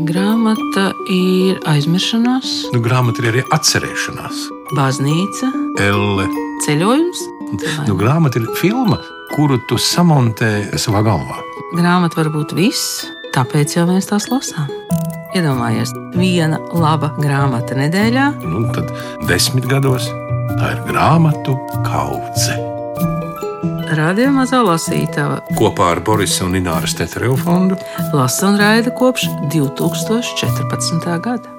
Grāmata ir aizmiršanās, Grāmata ir arī atcerēšanās. baznīca, Elle. ceļojums. Grāmata ir filma, kuru tu samontē savā galvā. Grāmata var būt viss, tāpēc jau mēs tās lasām. Iedomājies, viena laba grāmata nedēļā. Tad 10 gados tā ir grāmatu kaudze. Radio Mazā lasītava Kopā ar Borisa un Ināras Tetereva fondu lasa un raida kopš 2014. gada.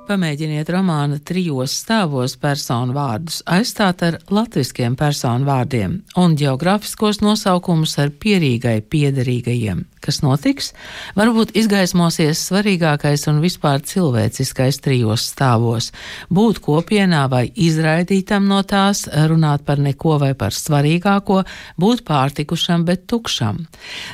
Pamēģiniet romāna 3 stāvos personu vārdus aizstāt ar latviskiem personu vārdiem un geogrāfiskos nosaukumus ar pierīgai piederīgajiem. Kas notiks? Varbūt izgaismosies svarīgākais un vispār cilvēciskais 3 stāvos. Būt kopienā vai izraidītam no tās, runāt par neko vai par svarīgāko, būt pārtikušam, bet tukšam.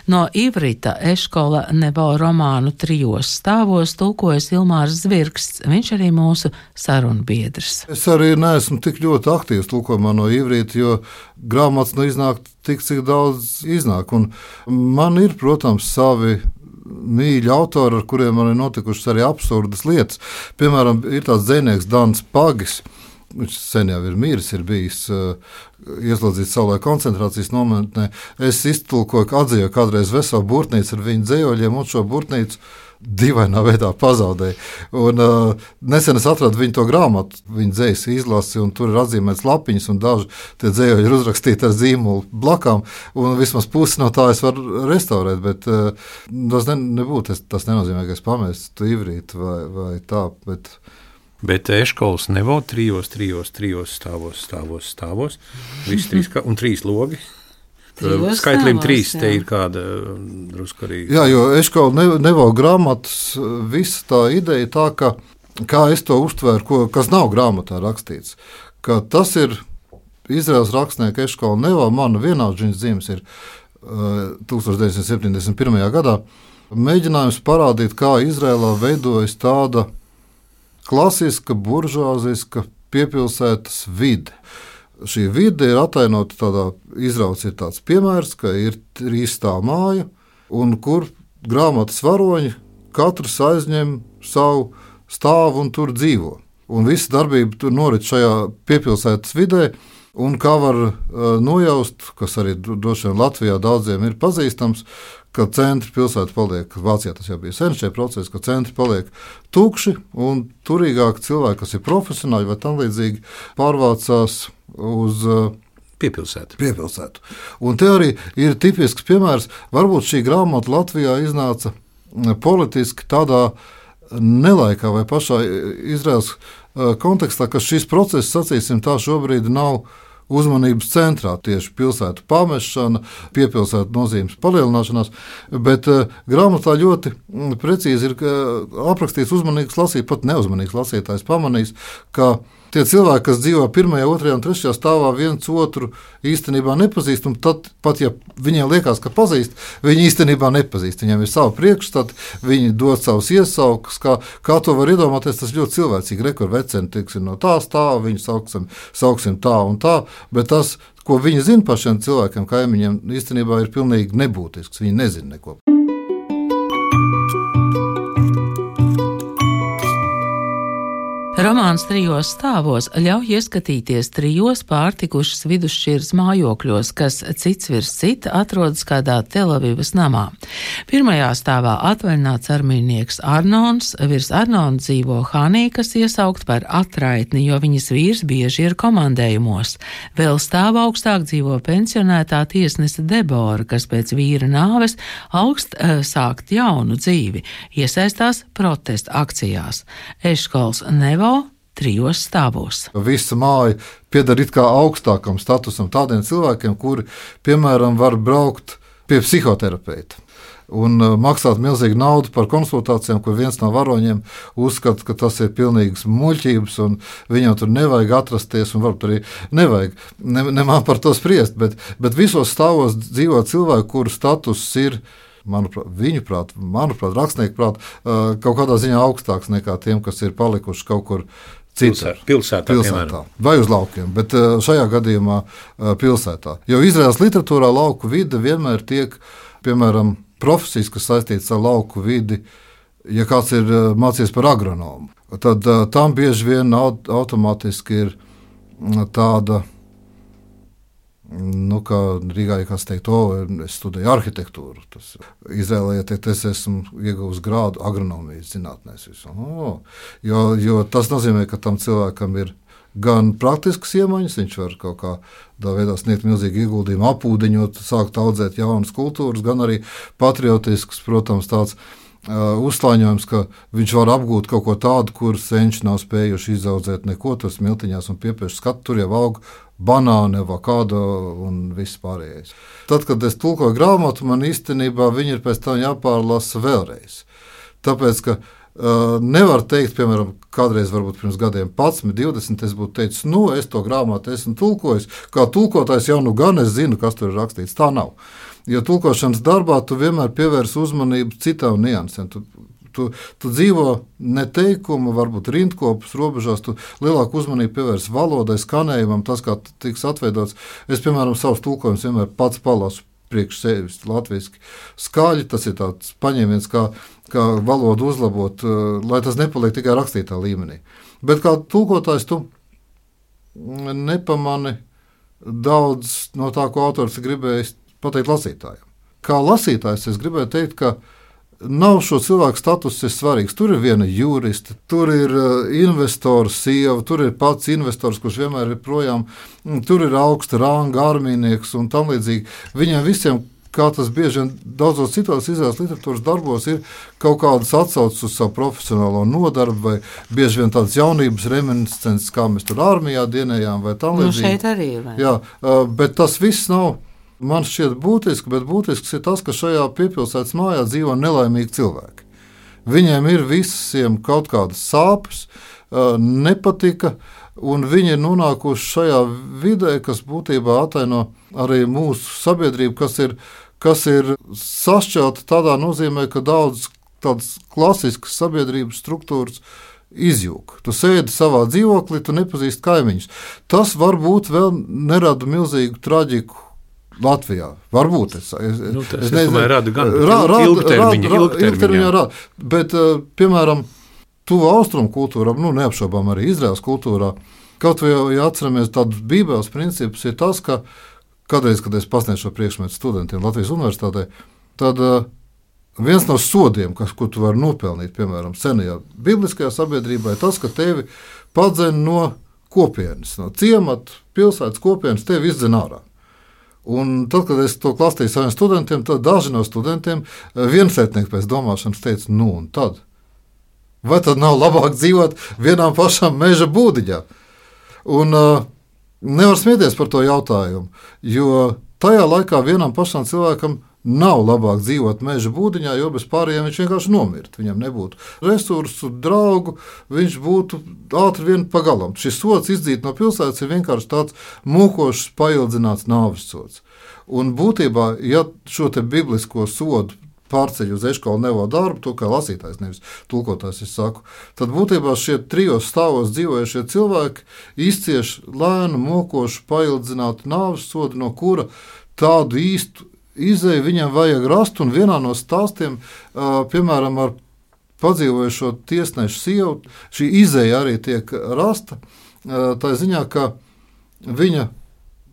No Ivrita Eškola Nevo romānu 3 stāvos tulkojas Ilmārs Zvirksts. Viņš arī mūsu sarunbiedrs. Es arī neesmu tik ļoti aktīvs tulkojumā no Ivrīta, jo grāmatas iznāk tik, cik daudz iznāk. Un man ir, protams, savi mīļi autori, ar kuriem man ir notikušas arī absurdas lietas. Piemēram, ir tāds dzejnieks Dans Pagis. Viņš sen jau ir miris, ir bijis ieslodzīts savulaik koncentrācijas nometnē. Es iztulkoju, atzīju kādreiz veselu burtnīcu ar viņu dzējoļiem, un šo burtnīcu dīvainā veidā pazaudēja. Un, nesen es atradu viņu to grāmatu, viņa dzējas izlasi, un tur ir atzīmēts lapiņas, un daži tie dzējoļi ir uzrakstīti ar zīmolu blakām, un vismaz pusi no tā es varu restaurēt, bet tas nebūtu, tas nenozīmē, ka es pamestu Ivrītu vai tā, Bet Eškols Nevo 3 stāvos. Visi 3 un 3 logi. Skaitlim 3 te ir kāda drusku arī. Jā, jo Eškola Nevo grāmatas visa tā ideja tā, ka, kā es to uztvēru, kas nav grāmatā rakstīts, ka tas ir Izraels rakstnieka Eškola Nevo, mana vienaudžiņas dzīves ir 1971. gadā, mēģinājums parādīt, kā Izrēlā veidojas tāda klasiska, buržuāziska piepilsētas vide. Šī vide ir atainota tādā, izrauts ir tāds piemērs, ka ir 3 stāvu māja, un kur grāmatas varoņi katrs aizņem savu stāvu un tur dzīvo. Un visa darbība tur norit šajā piepilsētas vidē, un kā var nojaust, kas arī droši vien Latvijā daudziem ir pazīstams, ka centri pilsēta paliek, Vācijā tas jau bija sen šie procesi, ka centri paliek tukši, un turīgāki cilvēki, kas ir profesionāļi vai tam līdzīgi, pārvācās uz piepilsētu. Un te arī ir tipisks piemērs, varbūt šī grāmata Latvijā iznāca politiski tādā nelaikā vai pašā Izraels kontekstā, ka šis process, sacīsim tā, šobrīd nav uzmanības centrā, tieši pilsētu pamešana, piepilsētu nozīmes palielināšanās, bet grāmatā ļoti precīzi ir aprakstīts uzmanīgs lasītājs, pat neuzmanīgs lasītājs pamanīs, ka tie cilvēki, kas dzīvo 1., 2. un 3. stāvā, viens otru īstenībā nepazīst, un tad, pat ja viņiem liekas, ka pazīst, viņi īstenībā nepazīst. Viņiem ir savi priekšstati, viņi dod savus iesaukus, kā to var iedomāties, tas ļoti cilvēcīgi. Rekur veceni, tiksim, no tā stāva, viņu sauksim tā un tā, bet tas, ko viņi zina par šiem cilvēkiem, kaimiņiem, īstenībā ir pilnīgi nebūtisks. Viņi nezina neko. Romāns 3 stāvos ļauj ieskatīties 3 pārtikušas vidusšķiras mājokļos, kas cits virs cita atrodas kādā Telavivas namā. 1. stāvā atvaļināts armijnieks Arnons, virs Arnona dzīvo Hanī, kas iesaukt par atraitni, jo viņas vīrs bieži ir komandējumos. Vēl stāv augstāk dzīvo pensionētā tiesnese Debora, kas pēc vīra nāves augst sākt jaunu dzīvi, iesaistās protesta akcijās. Eškols Nevo 3 stāvos. Visa māja pieder it kā augstākam statusam tādiem cilvēkiem, kuri, piemēram, var braukt pie psihoterapeita un maksāt milzīgu naudu par konsultācijām, kur viens no varoņiem uzskata, ka tas ir pilnīgs muļķības un viņam tur nevajag atrasties un varbūt arī nevajag. Ne man par to spriest, bet visos stāvos dzīvo cilvēki, kuru status ir, manuprāt, rakstnieku prāt, kaut kādā ziņā augstāks nekā tiem, kas ir palikuši kaut kur pilsētā vai uz laukiem, bet šajā gadījumā pilsētā. Jo Izraels literatūrā lauku vide vienmēr tiek, piemēram, profesijas, kas saistītas ar lauku vidi, Ja kāds ir mācījies par agronomu, tad tam bieži vien automātiski ir tāda, kā Rīgā, ja kāds teikt, es studēju arhitektūru. Izrēlē, ja teikt, es esmu ieguvis grādu agronomijas zinātnēs. Jo tas nozīmē, ka tam cilvēkam ir gan praktiskas iemaņas, viņš var kaut kādā veidā sniegt milzīgu ieguldījumu, apūdeņot, sākt audzēt jaunas kultūras, gan arī patriotisks, protams, tāds uzslāņojums, ka viņš var apgūt kaut ko tādu, kur senči nav spējuši izaudzēt neko, tur smiltiņās un piepieši skatu, tur jau aug banāni, avokado un viss pārējais. Tad, kad es tulkoju grāmatu, man īstenībā viņi ir pēc tam jāpārlasa vēlreiz. Tāpēc, ka nevar teikt, piemēram, kādreiz varbūt pirms gadiem 11, 20, es būtu teicis, es to grāmatu esmu tulkojis, kā tulkotājs jau gan es zinu, kas tur ir rakstīts. Tā nav. Jo tulkošanas darbā tu vienmēr pievērsi uzmanību citām niansēm. Tu dzīvo ne teikuma, varbūt rindkopas robežās, tu lielāku uzmanību pievērsi valodai, skanējumam, tas, kā tiks atveidots. Es, piemēram, savus tulkojumus vienmēr pats palasu priekš sevis latviski skaļi, tas ir tāds paņēmiens, kā valodu uzlabot, lai tas nepaliek tikai rakstītā līmenī. Bet kā tulkotājs tu nepamani daudz no tā, ko autors gribējis pateikt lasītājiem. Kā lasītājs es gribēju teikt, ka nav šo cilvēku status svarīgs. Tur ir viena juriste, tur ir investora sieva, tur ir pats investors, kurš vienmēr ir projām, tur ir augsta ranga armijnieks un tam līdzīgi. Viņiem visiem, kā tas bieži vien daudzos citos izrādes literatūras darbos, ir kaut kādas atsauces uz savu profesionālo nodarbu, vai bieži vien tādas jaunības reminiscences, kā mēs tur armijā dienējām, vai tam līdzīgi. Šeit arī ir. Jā, bet tas viss nav. Man šķiet būtiski, bet būtisks ir tas, ka šajā piepilsētas mājā dzīvo nelaimīgi cilvēki. Viņiem ir visiem kaut kādas sāpes, nepatika, un viņi ir nonākuši šajā vidē, kas būtībā ataino arī mūsu sabiedrību, kas ir sašķelta tādā nozīmē, ka daudz tādas klasiskas sabiedrības struktūras izjūg. Tu sēdi savā dzīvoklī, tu nepazīsti kaimiņus. Tas varbūt vēl nerada milzīgu traģiku Latvijā. Varbūt es domāju, rada gan ilgtermiņā rada. Bet, piemēram, tuvu austrumu kultūrā, neapšaubām arī Izraēlas kultūrā, kaut vai ja atceramies tādus bībeles principus, ir tas, ka kādreiz, kad es pasniedzu šo priekšmetu studentiem Latvijas universitātē, tad viens no sodiem, ko tu vari nopelnīt, piemēram, senajā bibliskajā sabiedrībā, ir tas, ka tevi padzen no kopienas, no ciemata, pilsētas kopienas, tevi izdzen ārā. Un tad, kad es to klastīju saviem studentiem, tad daži no studentiem viensētnieki pēc domāšanas teica, un tad? Vai tad nav labāk dzīvot vienām pašām meža būdiņā? Un nevar smieties par to jautājumu, jo tajā laikā vienam pašam cilvēkam nav labāk dzīvot meža būdiņā, jo bez pārējiem viņš vienkārši nomirt. Viņam nebūtu resursu, draugu, viņš būtu ātri vien pagalam. Šis sods izdzīt no pilsētas ir vienkārši tāds mūkošs, paildzināts nāves sods. Un būtībā, ja šo te biblisko sodu pārceļ uz eškolu nevo darbu, to kā lasītājs, nevis tulkotājs, es saku, tad būtībā šie trijos stāvos dzīvojušie cilvēki izcieš lēnu, mokošu, paildzinātu nāves sodu, no kura tādu īstu izēju viņam vajag rast, un vienā no stāstiem, piemēram, ar padzīvojušo tiesnešu sievu, šī izēja arī tiek rasta, tā ziņā, ka viņa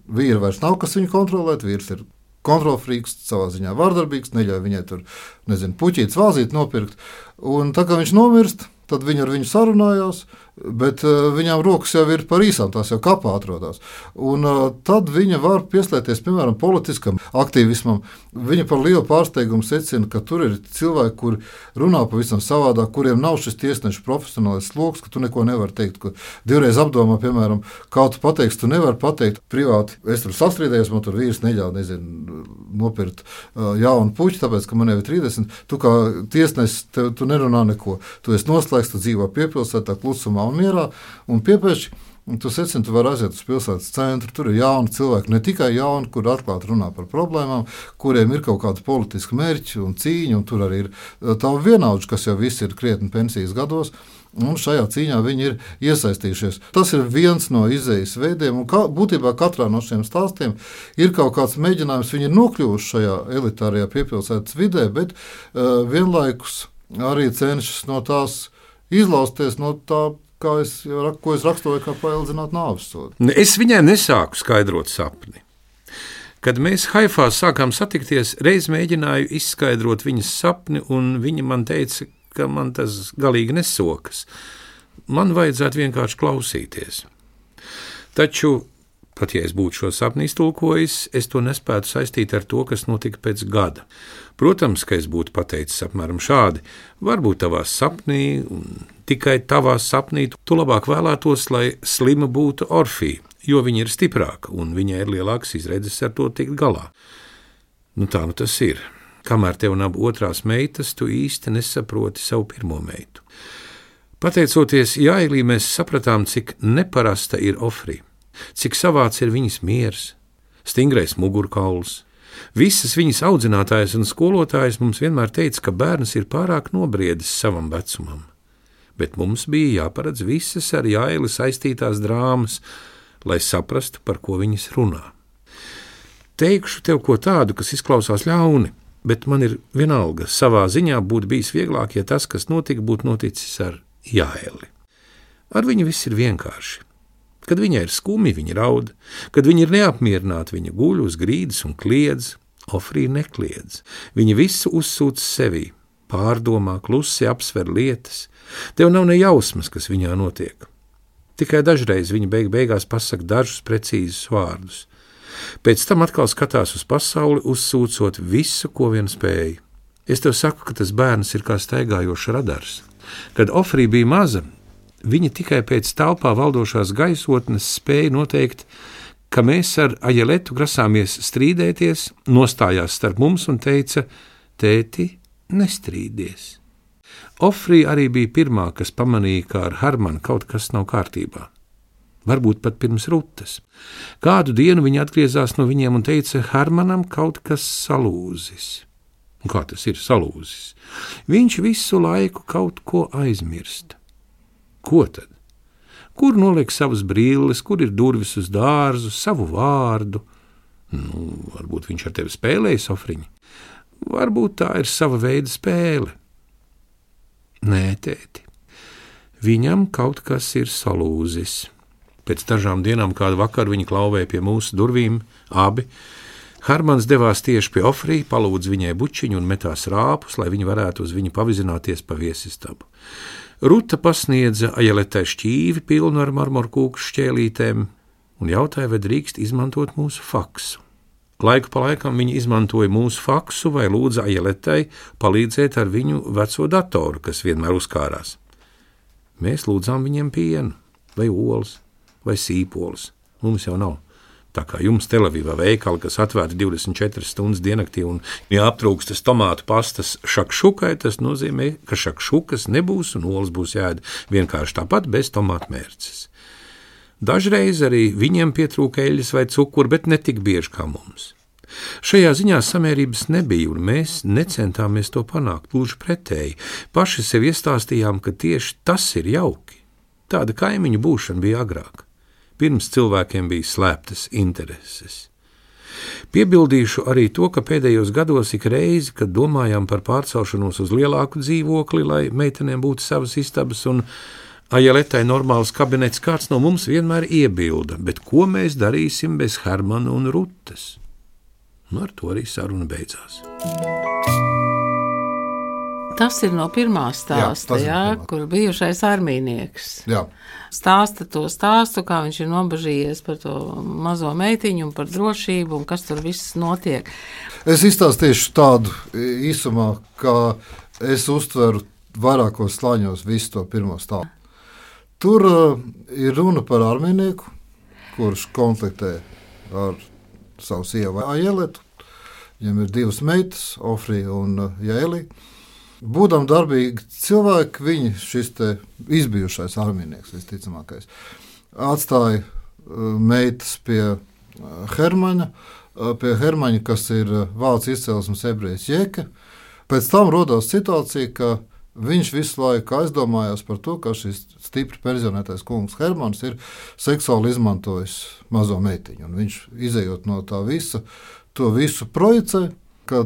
vīra vairs nav, kas viņu kontrolēt, vīrs ir kontrolfrīks, savā ziņā vārdarbīgs, neļauj viņai tur, puķītes vāzīt nopirkt, un tā kā viņš nomirst, tad viņi ar viņu sarunājās, bet viņām rokas jau ir par īsām, tās jau kapā atrodas. Un tad viņa var pieslēgties, piemēram, politiskam aktīvismam. Viņa par lielu pārsteigumu secina, ka tur ir cilvēki, kuri runā pavisam savādāk, kuriem nav šis tiesnešu profesionālais sloks, ka tu neko nevari teikt, ka divreiz apdomā, piemēram, kā tu pateiksi, tu nevari pateikt privāti. Es tur sastrīdējos, man tur vīrs neļauj, nopirkt jaunu puķi, tāpēc, ka man jau ir 30. Tu kā tiesnesis, tu nerunā neko. Tu esi noslēgts, tu dzīvo piepilsētā, klusumā un mierā, un piepēši tu secini, tu vari aiziet uz pilsētas centru, tur ir jauni cilvēki, ne tikai jauni, kur atklāti runā par problēmām, kuriem ir kaut kāda politiska mērķi un cīņa, un tur arī ir tavu vienaudži, kas jau visi ir krietni pensijas gados, un šajā cīņā viņi ir iesaistījušies. Tas ir viens no izējas veidiem, un būtībā katrā no šiem stāstiem ir kaut kāds mēģinājums, viņi ir nokļuvuši šajā elitārajā piepilsētas vidē, bet vienlaikus arī cenšas no tās izlausties no tā, ko es raksturoju, kā paildzināt nāves sodu. Es viņai nesāku skaidrot sapni. Kad mēs Haifā sākām satikties, reiz mēģināju izskaidrot viņas sapni, un viņa man teica, ka man tas galīgi nesokas. Man vajadzētu vienkārši klausīties. Taču, pat ja es būtu šo sapni iztulkojis, es to nespētu saistīt ar to, kas notika pēc gada. Protams, ka es būtu pateicis apmēram šādi: varbūt tavā sapnī, un tikai tavā sapnī, tu labāk vēlētos, lai slima būtu Orfija, jo viņa ir stiprāka un viņai ir lielākas izredzes ar to tikt galā. Tā tas ir. Kamēr tev nav otrās meitas, tu īsti nesaproti savu pirmo meitu. Pateicoties Jailī, mēs sapratām, cik neparasta ir Ofrija, cik savāds ir viņas miers, stingrais mugurkauls. Visas viņas audzinātājas un skolotājas mums vienmēr teica, ka bērns ir pārāk nobriedis savam vecumam. Bet mums bija jāparedz visas ar Jaili saistītās drāmas, lai saprastu, par ko viņas runā. Teikšu tev ko tādu, kas izklausās ļauni, bet man ir vienalga, savā ziņā būtu bijis vieglāk, ja tas, kas notika, būtu noticis ar Jaili. Ar viņu viss ir vienkārši. Kad viņai ir skumi, viņa raud, kad viņa ir neapmierināta, viņa guļ uz grīdas un kliedz. Ofrija nekliedz. Viņa visu uzsūc sevī, pārdomā, klusi apsver lietas. Tev nav ne jausmas, kas viņā notiek. Tikai dažreiz viņa beigās pasaka dažus precīzus vārdus. Pēc tam atkal skatās uz pasauli, uzsūcot visu, ko vien spēja. Es tev saku, ka tas bērns ir kā staigājošs radars. Kad Ofrija bija maza, viņa tikai pēc telpā valdošās gaisotnes spēja noteikt, ka mēs ar Ajeletu grasāmies strīdēties, nostājās starp mums un teica: tēti, nestrīdies. Ofrija arī bija pirmā, kas pamanīja, ka ar Hermanu kaut kas nav kārtībā. Varbūt pat pirms Rutas. Kādu dienu viņa atgriezās no viņiem un teica: Hermanam kaut kas salūzis. Kā tas ir salūzis? Viņš visu laiku kaut ko aizmirst. Ko tad? Kur noliek savas brilles, kur ir durvis uz dārzu, savu vārdu? Varbūt viņš ar tevi spēlējas, Ofriņa. Varbūt tā ir sava veida spēle. Nē, tēti, viņam kaut kas ir salūzis. Pēc dažām dienām kādu vakaru viņi klauvēja pie mūsu durvīm, abi. Hermans devās tieši pie Ofrija, palūdza viņai bučiņu un metās rāpus, lai viņi varētu uz viņu pavizināties pa viesistabu. Ruta pasniedza Ajeletai šķīvi pilnu ar marmorkūku šķēlītēm un jautāja, vai drīkst izmantot mūsu faksu. Laiku pa laikam viņi izmantoja mūsu faksu vai lūdza Ajeletai palīdzēt ar viņu veco datoru, kas vienmēr uzkārās. Mēs lūdzām viņiem pienu, vai olas, vai sīpolas. Mums jau nav. Tā kā jums Telavivā veikali, kas atvērti 24 stundas diennaktī un aptrūkstas tomātu pastas šakšukai, tas nozīmē, ka šakšukas nebūs un olas būs jāēd vienkārši tāpat bez tomātu mērces. Dažreiz arī viņiem pietrūka eļļas vai cukuru, bet ne tik bieži kā mums. Šajā ziņā samērības nebija, un mēs necentāmies to panākt, gluži pretēji. Paši sev iestāstījām, ka tieši tas ir jauki. Tāda kaimiņu būšana bija agrāk. Pirms cilvēkiem bija slēptas intereses. Piebildīšu arī to, ka pēdējos gados ik reizi, kad domājām par pārcelšanos uz lielāku dzīvokli, lai meitenēm būtu savas istabas un Ajeletai normāls kabinets, kāds no mums vienmēr iebilda, bet ko mēs darīsim bez Hermana un Rutas? Ar to arī saruna beidzās. Tas ir no pirmā stāsta, kur bijušais armijnieks. Jā. Stāsta to stāstu, kā viņš ir nobažījies par to mazo meitiņu un par drošību un kas tur viss notiek. Es izstāstīšu tādu īsumā, kā es uztveru vairākos slāņos visu to pirmo stāstu. Tur ir runa par armijnieku, kurš konfliktē ar savu sievu Ajeletu. Viņam ir divas meitas, Ofrija un Jaili. Būdam darbīgi cilvēki, viņi šis te izbijušais armijnieks, visticamākais, atstāja meitas pie Hermaņa, kas ir vācu izcelsmes ebrejs Jeke. Pēc tam rodās situācija, ka viņš visu laiku aizdomājās par to, ka šis stipri perzionētais kungs Hermans ir seksuāli izmantojis mazo meitiņu. Un viņš, izejot no tā visa, to visu projicē, ka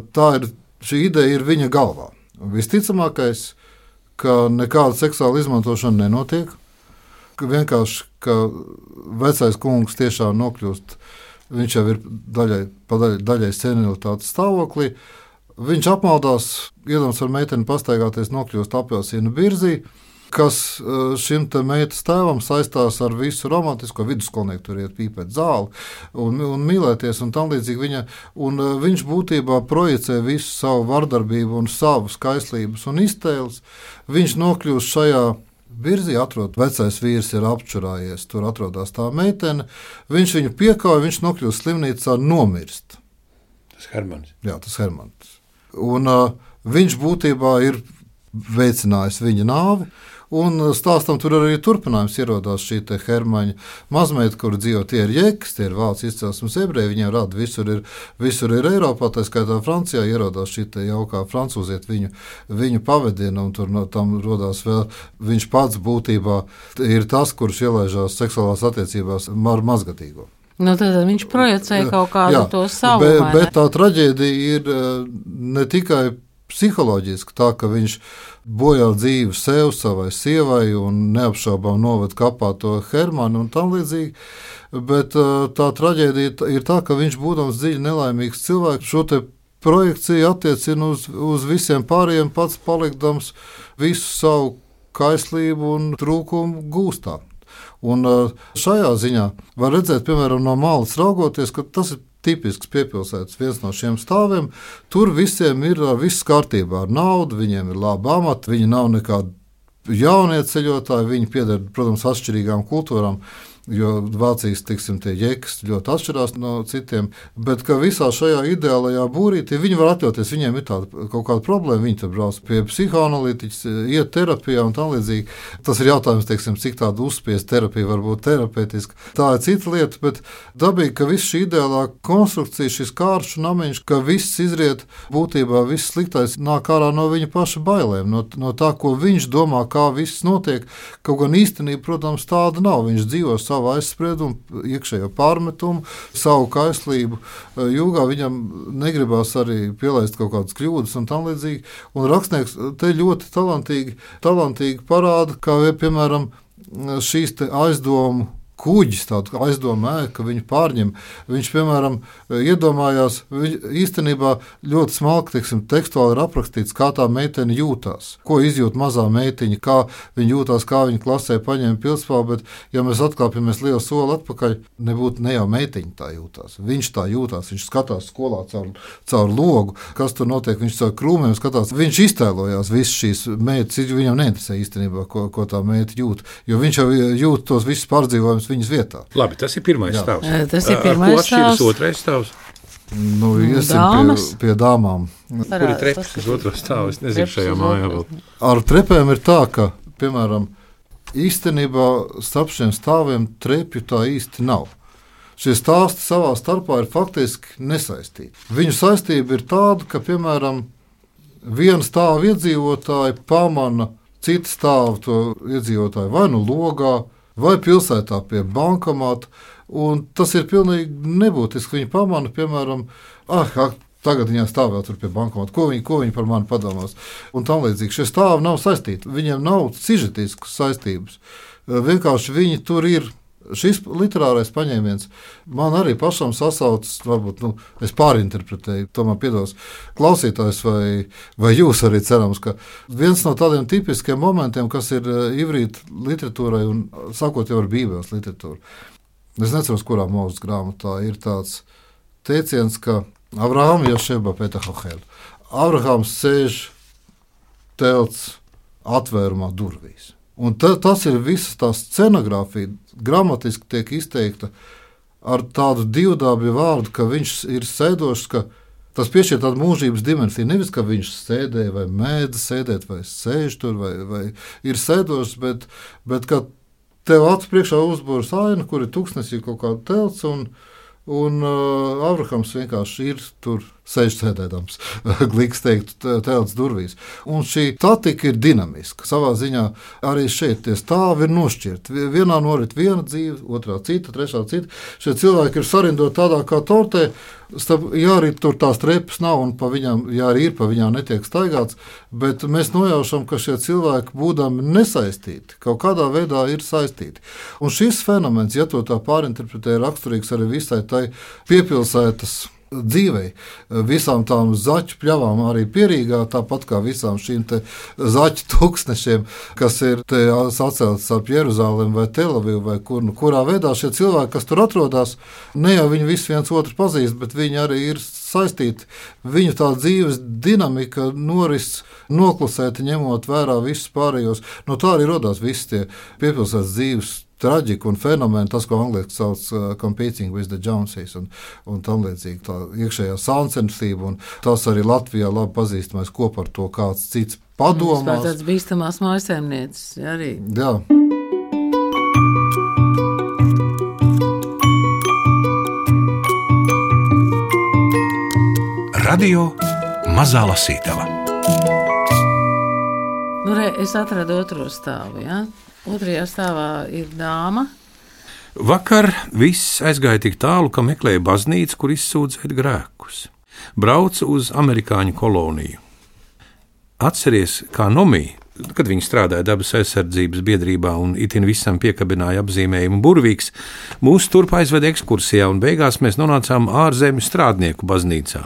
šī ideja ir viņa galvā. Visticamākais, ka nekāda seksuāla izmantošana nenotiek. Vienkārši, ka vecais kungs tiešām nokļūst, viņš jau ir daļai senilitātes stāvoklī. Viņš apmaldās, iedomās ar meiteni pastaigāties, nokļūst apelsīnu birzī, kas šim te meitas tēvam saistās ar visu romantisko, vidusskolnieku tur iet pīpēt zāli un mīlēties un tam līdzīgi viņš būtībā projicē visu savu vardarbību un savu skaistlības un iztēles. Viņš nokļūst šajā birzī, atrod, vecais vīrs ir apčurājies, tur atrodas tā meitene, viņš viņu piekauj, viņš nokļūst slimnīcā nomirst. Tas Hermans. Jā, tas Hermans. Un viņš būtībā ir veicinājis viņa nāvi. Un stāstam tur arī turpinājums ierodās šī te Hermaņa mazmeita, kur dzīvo, tie ir jekas, tie ir vācu izcelsmes ebreji, viņiem rada visur ir Eiropā, tā skaitā Francijā ierodās šī te jaukā francūziet viņu pavadina, un tur no tam rodās vēl, viņš pats būtībā ir tas, kurš ielaižās seksuālās attiecībās ar mazgatīgo. Nu, tad viņš projicēja kaut kādu to savu. Bet tā traģēdija ir ne tikai psiholoģiski, tā ka viņš bojā dzīvi sev, savai sievai un neapšaubām noved kapā to Hermanu un tam līdzīgi, bet tā traģēdija ir tā, ka viņš būdams dziļi nelaimīgs cilvēks, šo te projekciju attiecina uz visiem pārējiem, pats palikdams visu savu kaislību un trūkumu gūstā. Un šajā ziņā var redzēt, piemēram, no malas raugoties, ka tas ir tipisks piepilsētas viens no šiem stāviem. Tur visiem ir viss kārtībā ar naudu, viņiem ir laba amata, viņi nav nekādi jaunie ceļotāji, viņi pieder, protams, atšķirīgām kultūrām, jo Vācijas, tie jekas ļoti atšķirās no citiem, bet ka visā šajā ideālajā būrītī viņi var atļauties, viņiem ir tāda kaut kāda problēma, viņi tur brauc pie psihoanalītiķis, iet terapijā un tam līdzīgi. Tas ir jautājums, cik tāda uzspiest terapija var būt terapeitiska. Tā ir cita lieta, bet dabīgi, ka viss šī ideālā konstrukcija, šis kāršu namiņš, ka viss izriet būtībā, viss sliktais nāk ārā no viņa paša bailēm, no tā, ko viņš domā, kā viss notiek, kaut gan īstenība, protams, tāda nav. Viņš dzīvo savu aizspriedumu, iekšējo pārmetumu, savu kaislību jūgā, viņam negribās arī pielaist kaut kādas kļūdas un tam līdzīgi. Un rakstnieks te ļoti talantīgi parāda, kā piemēram šīs te aizdomu kuģis, tādu aizdomu ēku, viņu pārņem. Viņš, piemēram, iedomājās, īstenībā ļoti smalki, tekstuāli ir aprakstīts, kā tā meitene jūtās, ko izjūt mazā meitiņa, kā viņa jūtās, kā viņa klasē paņēma pilspālu, bet, ja mēs atkāpjamies lielu soli atpakaļ, nebūtu ne jau meitiņa tā jūtās. Viņš tā jūtās, viņš skatās skolā caur logu, kas tur notiek, viņš caur krūmiem skatās, viņš iztēlojās visas šīs meitas, viņam neinteresē īstenībā, ko tā meita jūt, jo viņš jau jūt tos visus pārdzīvojumus viņas vietā. Labi, tas ir pirmais stāvs. Tas ir pirmais stāvs. Ko atšķiras otrais stāvs? Iesim pie dāmām. Kur ir trepas uz otro stāvu? Es nezinu šajā mājā vēl. Ar trepēm ir tā, ka, piemēram, īstenībā starp šiem stāviem trepju tā īsti nav. Šie stāsti savā starpā ir faktiski nesaistīti. Viņu saistība ir tāda, ka, piemēram, viena stāva iedzīvotāji pamana citu stāvu to iedzīvotāju vai nu logā, vai pilsētā pie bankomāta, un tas ir pilnīgi nebūtiski. Viņi pamana, piemēram, tagad viņā stāv vēl tur pie bankomāta, ko viņi par mani padomās, un tam līdzīgi. Šie stāvi nav saistīti, viņiem nav sižetiskas saistības. Vienkārši viņi tur ir. Šis literārais paņēmiens man arī pašam sasaucas, varbūt es pārinterpretēju, tomēr piedos klausītājs vai jūs arī cerams, ka viens no tādiem tipiskiem momentiem, kas ir ivrīta literatūrai un sākot jau ar Bībeles literatūru. Es neceros, kurā mūzes grāmatā ir tāds teiciens, ka Avraham Jošeba Petahahel. Avrahams sēž telts atvērumā durvīs. Un tas ir visas tā scenogrāfija, gramatiski tiek izteikta ar tādu divdābju vārdu, ka viņš ir sēdošs, ka tas piešķir tādu mūžības dimensiju. Nevis, ka viņš sēdēja vai mēdza sēdēt, vai sēž tur, vai ir sēdošs, bet ka tev acu priekšā uzbūras aina, kur ir tūkstnesī kaut kāda telts, un Abrahams vienkārši ir tur sēž sēdēdams, gliks teikt, telts durvīs. Un šī statika ir dinamiska. Savā ziņā arī šeit tie stāvi ir nošķirti. Vienā norit viena dzīve, otrā cita, trešā cita. Šie cilvēki ir sarindoti tādā kā tortē, ja arī tur tās trepas nav un pa viņām, ja arī ir, pa viņām netiek staigāts, bet mēs nojaušam, ka šie cilvēki, būdami nesaistīti, kaut kādā veidā ir saistīti. Un šis fenomens, ja to tā pārinterpretē, ir raksturīgs arī visai tai piepilsētas dzīvei, visām tām zaķu pļavām arī Pierīgā, tāpat kā visām šīm te zaķu tūkstnešiem, kas ir te saceltas ap Jeruzalem vai Telavivu vai kurā veidā šie cilvēki, kas tur atrodas, ne jau viņi visi viens otru pazīst, bet viņi arī ir saistīti. Viņu tā dzīves dinamika noris noklusēti, ņemot vērā visus pārējos. No tā arī rodās visi tie piepilsētas dzīves traģika un fenomeni, tas, ko angliski sauc competing with the Joneses un tam līdzīgi, tā iekšējā sāncensība, un tas arī Latvijā labi pazīstamais kopā ar to kāds cits padomās. Tāds bīstamās mājasēmnieces, arī. Jā. Radio Mazā Lasītava. Es atradu otro stāvu, ja? Otrajā stāvā ir dāma. Vakar viss aizgāja tik tālu, ka meklēja baznīcu, kur izsūdzēt grēkus. Brauca uz amerikāņu koloniju. Atceries, kā Nomija, kad viņi strādāja dabas aizsardzības biedrībā un itin visam piekabināja apzīmējumu burvīgs, mūs turp aizveda ekskursijā un beigās mēs nonācām ārzemju strādnieku baznīcā.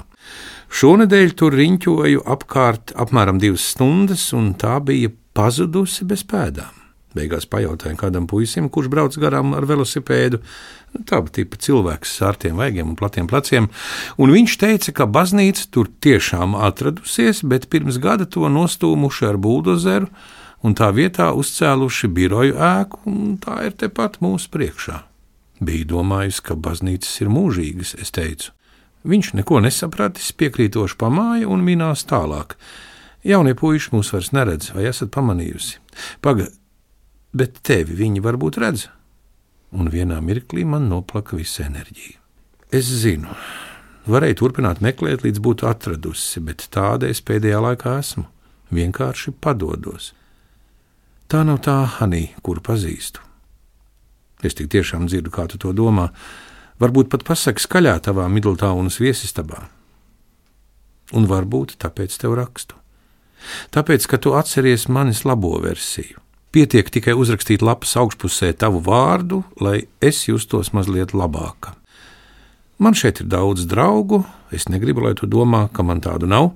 Šonedēļ tur riņķoju apkārt apmēram 2 stundas, un tā bija pazudusi bez pēdām. Beigās pajautāju kādam puisim, kurš brauc garām ar velosipēdu, tāda tipa cilvēks ar ārtiem vaigiem un platiem pleciem, un viņš teica, ka baznīca tur tiešām atradusies, bet pirms gada to nostūmuši ar buldozeru un tā vietā uzcēluši biroju ēku, un tā ir tepat mūsu priekšā. Biju domājis, ka baznīcas ir mūžīgas, es teicu. Viņš neko nesapratis, piekrītoši pamāja un minās tālāk. Jaunie puiši mūs vairs neredz, vai esat pamanījusi? Bet tevi viņi varbūt redz. Un vienā mirklī man noplaka visa enerģija. Es zinu, varēju turpināt meklēt, līdz būtu atradusi, bet tāda es pēdējā laikā esmu. Vienkārši padodos. Tā nav tā Hanī, kuru pazīstu. Es tik tiešām dzirdu, kā tu to domā. Varbūt pat pasaki skaļā tavā Midltaunas viesistabā. Un varbūt tāpēc tev rakstu. Tāpēc, ka tu atceries manis labo versiju. Pietiek tikai uzrakstīt lapas augšpusē tavu vārdu, lai es justos mazliet labāka. Man šeit ir daudz draugu, es negribu, lai tu domā, ka man tādu nav.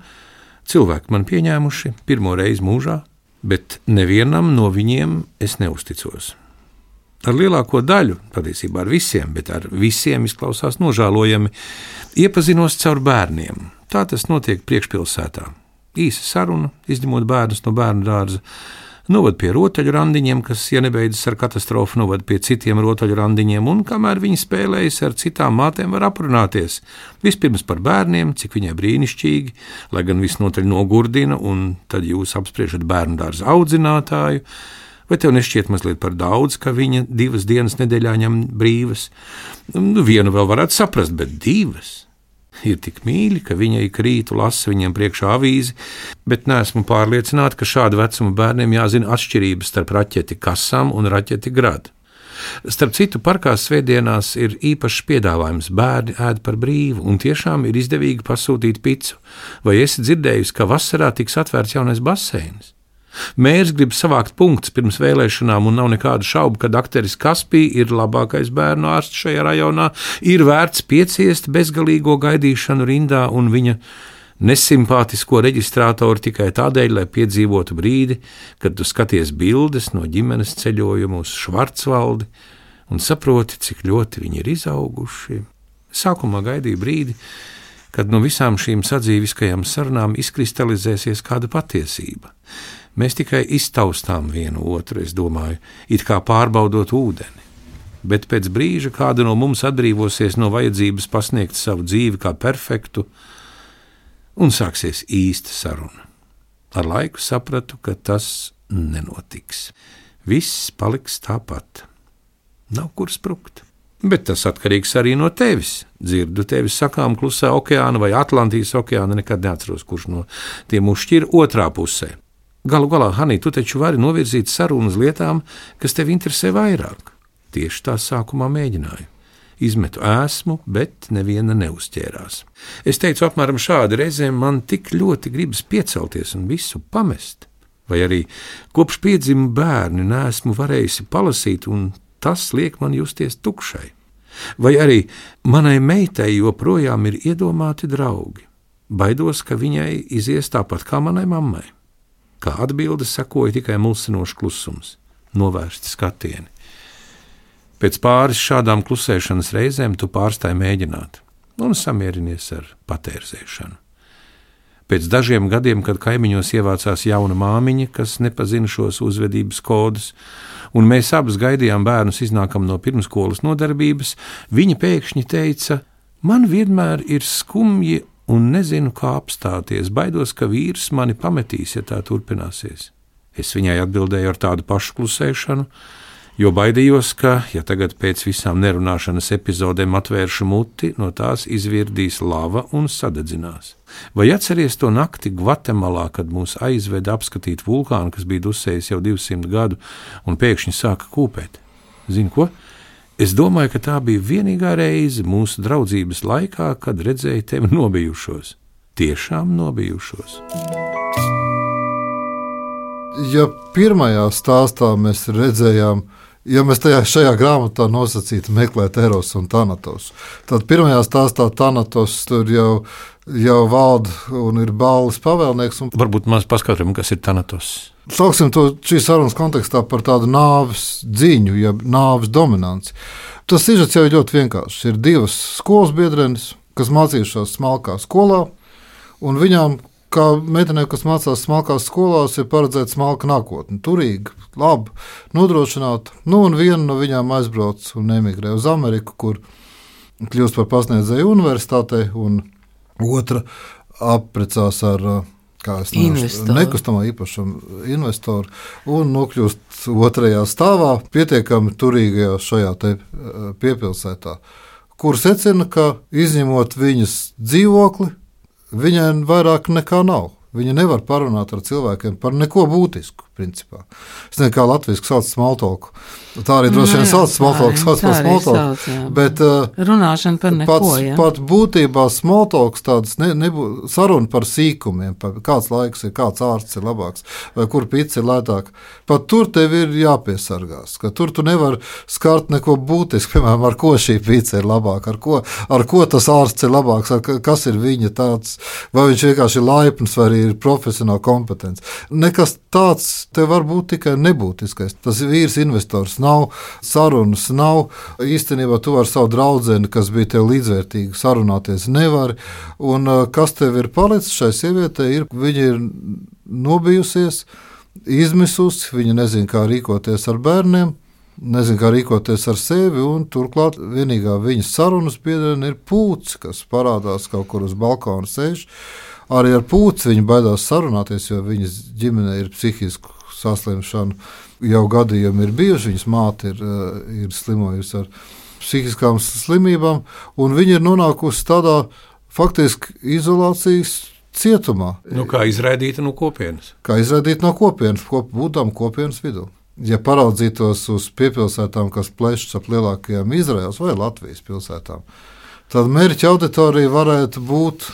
Cilvēki man pieņēmuši pirmo reizi mūžā, bet nevienam no viņiem es neusticos. Ar lielāko daļu, patiesībā ar visiem, bet ar visiem izklausās nožēlojami, iepazinos caur bērniem. Tā tas notiek priekšpilsētā. Īsa saruna, izņemot bērnus no bērnu dārza, novad pie rotaļu randiņiem, kas, ja nebeidzas ar katastrofu, novad pie citiem rotaļu randiņiem, un kamēr viņi spēlējas ar citām mātēm, var aprunāties. Vispirms par bērniem, cik viņai brīnišķīgi, lai gan visnotaļ nogurdina, un tad jūs apspriežat bērnu dārza audzinātāju, vai tev nešķiet mazliet par daudz, ka viņa 2 dienas nedēļā ņem brīvas? Vienu vēl varētu saprast, bet 2? Ir tik mīļi, ka viņa ik rītu lasa viņiem priekšā avīzi, bet neesmu pārliecināta, ka šādu vecumu bērniem jāzina atšķirības starp raķeti kasam un raķeti gradu. Starp citu, parkā svētdienās ir īpašs piedāvājums bērni ēd par brīvu, un tiešām ir izdevīgi pasūtīt picu. Vai esi dzirdējusi, ka vasarā tiks atvērts jaunais baseins? Mērs grib savākt punktus pirms vēlēšanām, un nav nekādu šaubu, ka dakteris Kaspī ir labākais bērnu ārsts šajā rajonā, ir vērts pieciest bezgalīgo gaidīšanu rindā un viņa nesimpātisko reģistrātoru tikai tādēļ, lai piedzīvotu brīdi, kad tu skaties bildes no ģimenes ceļojuma uz Švarcvaldi un saproti, cik ļoti viņi ir izauguši. Sākumā gaidīju brīdi, kad no visām šīm sadzīviskajām sarunām izkristalizēsies kāda patiesība. Mēs tikai iztaustām vienu otru, es domāju, it kā pārbaudot ūdeni. Bet pēc brīža kāda no mums atbrīvosies no vajadzības pasniegt savu dzīvi kā perfektu, un sāksies īsta saruna. Ar laiku sapratu, ka tas nenotiks. Viss paliks tāpat. Nav kur sprukt. Bet tas atkarīgs arī no tevis. Dzirdu tevi sakām Klusā okeāna vai Atlantijas okeāna, nekad neatceros, kurš no tiem uzšķir otrā pusē. Galu galā, Hanī, tu taču vari novirzīt sarunu uz lietām, kas tevi interesē vairāk. Tieši tā sākumā mēģināju. Izmetu ēsmu, bet neviena neuzķērās. Es teicu apmēram šādi: reizēm man tik ļoti gribas piecelties un visu pamest. Vai arī kopš piedzima bērni neesmu varējusi palasīt, un tas liek man justies tukšai. Vai arī manai meitai joprojām ir iedomāti draugi. Baidos, ka viņai izies tāpat kā manai mammai. Kā atbilde sekoja tikai mulsinošs klusums, novērsti skatieni. Pēc pāris šādām klusēšanas reizēm tu pārstāji mēģināt un samierinies ar patērzēšanu. Pēc dažiem gadiem, kad kaimiņos ievācās jauna māmiņa, kas nepazina šos uzvedības kodus, un mēs abas gaidījām bērnus iznākam no pirmskolas nodarbības, viņa pēkšņi teica: man vienmēr ir skumji un nezinu, kā apstāties, baidos, ka vīrs mani pametīs, ja tā turpināsies. Es viņai atbildēju ar tādu pašu klusēšanu, jo baidījos, ka, ja tagad pēc visām nerunāšanas epizodēm atvēršu muti, no tās izvirdīs lava un sadedzinās. Vai atceries to nakti Gvatemalā, kad mūs aizveda apskatīt vulkānu, kas bija dusējis jau 200 gadu un pēkšņi sāka kūpēt? Zini ko? Es domāju, ka tā bija vienīgā reize mūsu draudzības laikā, kad redzēju tevi nobijušos. Tiešām nobijušos. Ja pirmajā stāstā mēs redzējām, ja mēs šajā grāmatā nosacītu meklēt Eros un Thanatos, tad pirmajā stāstā Thanatos tur jau valda un ir balles pavēlnieks. Varbūt mēs paskatāmies, kas ir Thanatos. Sauksim to šīs sarunas kontekstā par tādu nāves dziņu, jeb nāves dominanci. Tas sižets jau ir ļoti vienkāršs. Ir divas skolas biedrenes, kas mācījušās smalkā skolā, un viņām, kā meitenēm, kas mācās smalkās skolās, ir paredzēta smalka nākotne. Turīga, labi, nodrošināta. Un viena no viņām aizbrauc un emigrē uz Ameriku, kur kļūst par pasniedzēju universitātei, un otra apprecās ar nekustamā īpašuma investoru un nokļūst otrajā stāvā, pietiekami turīgajā šajā piepilsētā, kur secina, ka izņemot viņas dzīvokli, viņai vairāk nekā nav. Viņa nevar parunāt ar cilvēkiem par neko būtisku, principā. Es nezinu, kā latviešu sauc smalltalku. Tā arī droši vien sauc smalltalku, sauc par smalltalku. Bet runāšana par neko, pat būtībā smalltalks tāds saruna par sīkumiem, par kāds laiks ir, kāds ārsts ir labāks, vai kur pica ir lētāk. Pat tur tev ir jāpiesargās, ka tur tu nevar skart neko būtisku, piemēram, ar ko šī pica ir labāka, ar ko tas ārsts ir labāks, kas ir viņa tāds, vai viņš vienkārši ir laipns, vai arī ir profesionāli kompetents. Nekas tāds te var būt tikai nebūtiskais. Tas vīrs investors nav, sarunas nav. Īstenībā tu ar savu draudzeni, kas bija tev līdzvērtīgi, sarunāties nevari. Un kas tev ir palicis šai sievietei, viņa ir nobijusies, izmisusi, viņa nezina, kā rīkoties ar bērniem, nezinu, kā rīkoties ar sevi, un turklāt vienīgā viņas sarunas biedrene ir Pūts, kas parādās kaut kur uz balkona sēž. Arī ar Pūci viņa baidās sarunāties, jo viņas ģimenē ir psihisku saslimšanu. Jau gadījumi ir bijuši, viņas māte ir slimojusi ar psihiskām slimībām, un viņa ir nonākusi tādā faktiski izolācijas cietumā. Kā izraidīta no kopienas. Kā izraidīta no kopienas, būtām kopienas vidū. Ja paraudzītos uz piepilsētām, kas plešas ap lielākajām Izraēlas vai Latvijas pilsētām, tad mērķa auditorija varētu būt,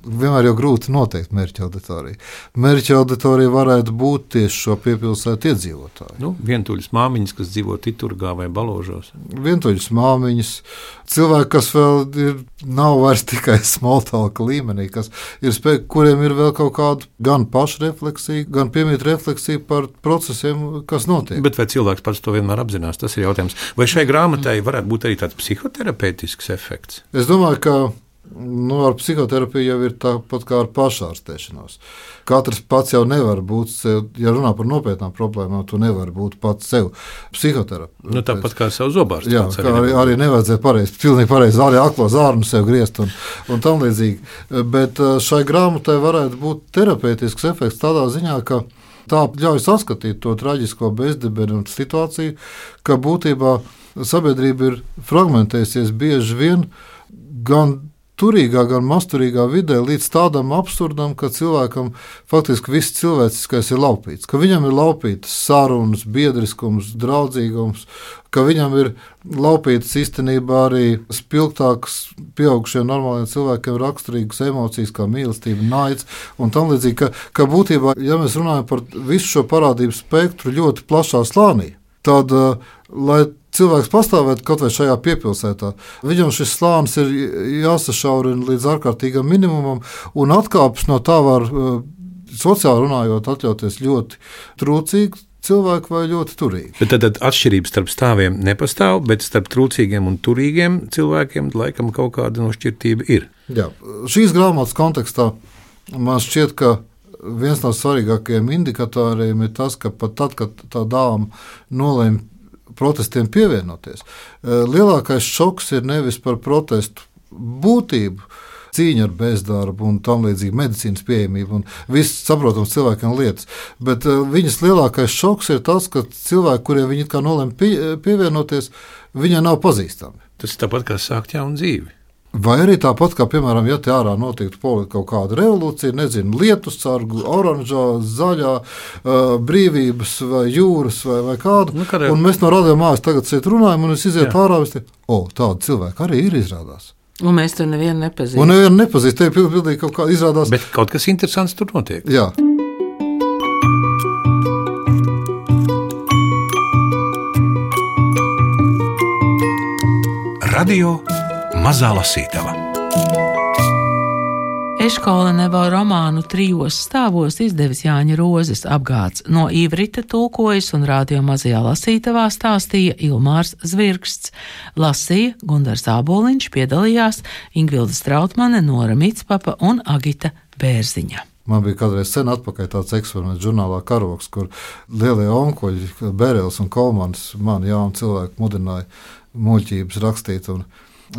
vienmēr jau grūti noteikt mērķa auditoriju. Mērķa auditorija varētu būt tieši šo piepilsētu iedzīvotāju. Vientuļas māmiņas, kas dzīvo Titurgā vai Baložos. Vientuļas māmiņas, cilvēki, kas vēl nav vairs tikai smalltalka līmenī, kuriem ir vēl kaut kāda gan pašrefleksija, gan piemīt refleksija par procesiem, kas notiek. Bet vai cilvēks pats to vienmēr apzinās, tas ir jautājums. Vai šai grāmatai varētu būt arī tāds psihoterapeitisks efekts? Es domāju, ka ar psihoterapiju jau ir tāpat kā ar pašārstēšanos. Katrs pats jau nevar būt sev, ja runā par nopietnām problēmām, tu nevari būt pats sev psihoterapeits. Tāpat kā sev zobārsts. Jā, arī nevajadzēja pilnīgi pareizi arī aklo zārnu sev griezt un tam līdzīgi. Bet šai grāmatai varētu būt terapeitisks efekts tādā ziņā, ka Tā ļauj saskatīt to traģisko bezdibenu situāciju, ka būtībā sabiedrība ir fragmentējusies bieži vien gan turīgā, gan masturīgā vidē līdz tādam absurdam, ka cilvēkam faktiski viss cilvēciskais ir laupīts. Ka viņam ir laupītas sarunas, biedriskums, draudzīgums, ka viņam ir laupītas īstenībā arī spilgtākas pieaugušiem normāliem cilvēkiem raksturīgas emocijas, kā mīlestība, naids un tam līdzīgi. Ka būtībā, ja mēs runājam par visu šo parādību spektru ļoti plašā slānī, tad, lai cilvēks pastāvētu kaut vai šajā piepilsētā, viņam šis slānis ir jāsašaurina līdz ārkārtīgam minimumam, un atkāpes no tā var, sociāli runājot, atļauties ļoti trūcīgi cilvēki vai ļoti turīgi. Bet tad atšķirības starp stāviem nepastāv, bet starp trūcīgiem un turīgiem cilvēkiem laikam kaut kāda nošķirtība ir. Jā, šīs grāmatas kontekstā man šķiet, ka viens no svarīgākajiem indikatoriem ir tas, ka pat tad, kad tā dāma nolēma protestiem pievienoties, lielākais šoks ir nevis par protestu būtību, cīņa ar bezdarbu un tam līdzīgi medicīnas pieejamību un viss saprotams cilvēkiem lietas, bet viņas lielākais šoks ir tas, ka cilvēki, kuriem viņi kā nolēma pievienoties, viņai nav pazīstami. Tas tāpat kā sākt jaunu dzīvi. Vai arī tāpat, kā, piemēram, ja te ārā notiktu kaut kāda revolūcija, nezinu, lietus sargu, oranžā, zaļā, brīvības vai jūras vai kādu, un mēs no radio mājas tagad šeit runājam, un es izietu ārā, tādi cilvēki arī ir izrādās. Un mēs tur nevienu nepazīstam. Un nevienu nepazīst, te pildīgi kaut kā izrādās. Bet kaut kas interesants tur notiek. Jā. Radio Mazā lasītava. Eškolenevo romānu 3 stāvos izdevis Jāņa Rozes apgāds. No ivrita tulkojas un radio Mazajā lasītavā stāstīja Ilmārs Zvirksts. Lasīja Gundars Āboliņš, piedalījās Ingvilda Strautmane, Nora Mitspapa un Agita Bērziņa. Man bija kādreiz sen atpakaļ tāds eksperiments žurnālā Karoks, kur lielie onkuļi, Berels un Kolmans, mani jauni cilvēki mudināja muļķības rakstīt. Un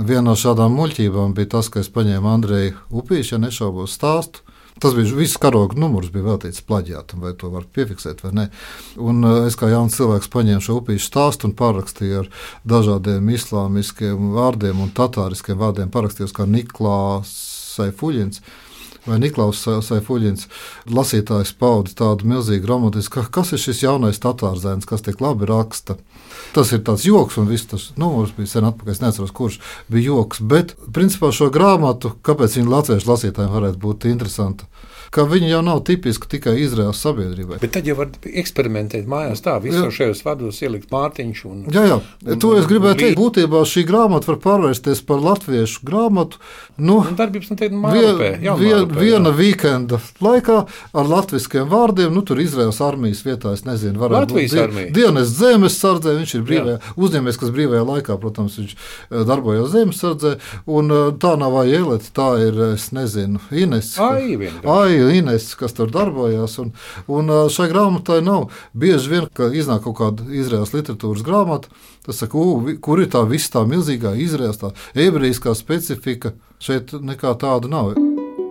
viena no šādām muļķībām bija tas, ka es paņēmu Andreju Upīšu, ja nešaubos stāstu. Tas bija viss Karoga numurs, bija veltīts plaģiātam, vai to var piefiksēt vai ne. Un es kā jauns cilvēks paņēmu šo Upīšu stāstu un parakstīju ar dažādiem islāmiskiem vārdiem un tatāriskiem vārdiem, parakstījos kā Niklās Saifuļins vai Niklaus Saifuļins. Lasītājs pauda tādu milzīgu romantisku, kas ir šis jaunais tatārzēns, kas tik labi raksta. Tas ir tāds joks, un viss tas numurs bija sen atpakaļ, es neatceros, kurš bija joks, bet principā šo grāmatu, kāpēc viņa latviešu lasītājiem varētu būt interesanta, ka viņa jau nav tipiska tikai Izraēlas sabiedrībai. Bet tad jau var eksperimentēt mājās tā, visos šajos vārdos ielikt Mārtiņš un... Jā, to es gribēju teikt. Būtībā šī grāmata var pārvērsties par latviešu grāmatu. Darbības noteikti Mārupē. Viena vīkenda laikā ar latviskiem vārdiem, tur Izraēlas armijas vietā, es nezinu, varētu Latvijas būt armija. Dienas zemes sardzē, viņš ir brīvajā, uzņēmies, kas brīvajā laikā, protams, viņš darbojās zemes sardzē, un tā nav Aielete, tā ir, es nezinu, Ines. Ines, kas tur darbojās, un šai grāmatai nav bieži vien, ka iznāk kaut kāda Izraēlas literatūras grāmata, tas saka, kur ir tā viss tā milzīgā Izraēlas, tā ebrejiskā specifika, šeit nekā tāda nav.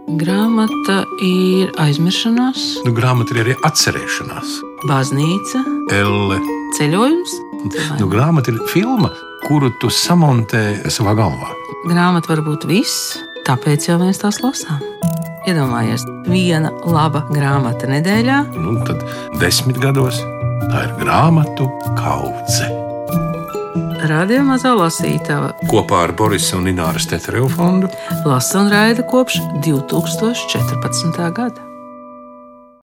Grāmata ir aizmiršanās. Grāmata ir arī atcerēšanās. Baznīca. Elle. Ceļojums. Grāmata ir filma, kuru tu samontē savā galvā. Grāmata var būt viss, tāpēc jau mēs tās lasām. Iedomājies, viena laba grāmata nedēļā. Tad 10 gados tā ir grāmatu kaudze. Radio Mazā lasītava kopā ar Borisa un Ināras Tetereva fondu lasa un raida kopš 2014. gada.